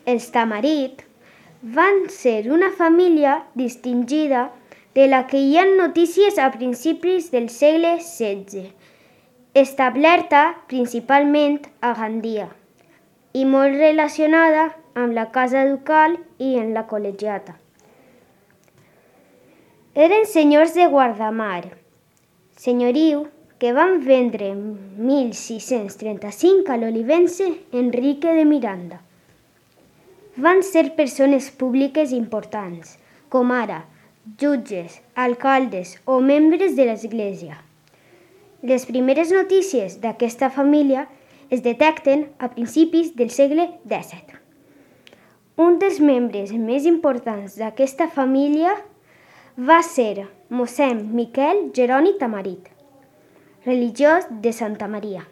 Els Tamarit van ser una família distingida de la que hi ha notícies a principis del segle XVI, establerta principalment a Gandia i molt relacionada amb la casa ducal i en la col·legiata. Eren senyors de Guardamar, senyoriu que van vendre en 1635 a l'olivense Enrique de Miranda. Van ser persones públiques importants, com ara jutges, alcaldes o membres de l'Església. Les primeres notícies d'aquesta família es detecten a principis del segle XVII. Un dels membres més importants d'aquesta família va ser mossèn Miquel Jeroni Tamarit, religiós de Santa Maria,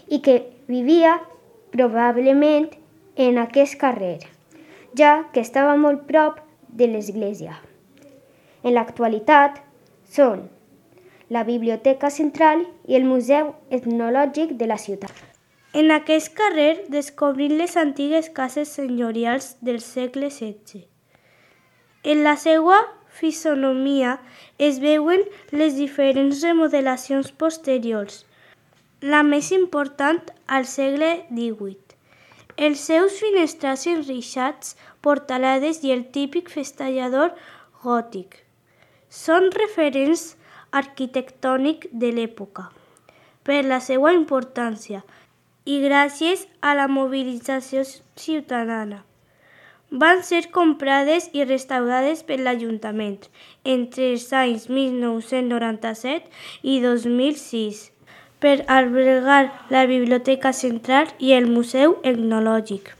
i que vivia probablement en aquest carrer, ja que estava molt prop de l'església. En l'actualitat són la Biblioteca Central i el Museu Etnològic de la ciutat. En aquest carrer descobrim les antigues cases senyorials del segle XVI. En la seva fisonomia es veuen les diferents remodelacions posteriors, la més important al segle XVIII. Els seus finestrals enreixats, portalades i el típic festallador gòtic són referents arquitectònics de l'època. Per la seva importància i gràcies a la mobilització ciutadana, van ser comprades i restaurades per l'Ajuntament entre els anys 1997 i 2006 per albergar la Biblioteca Central i el Museu Etnològic.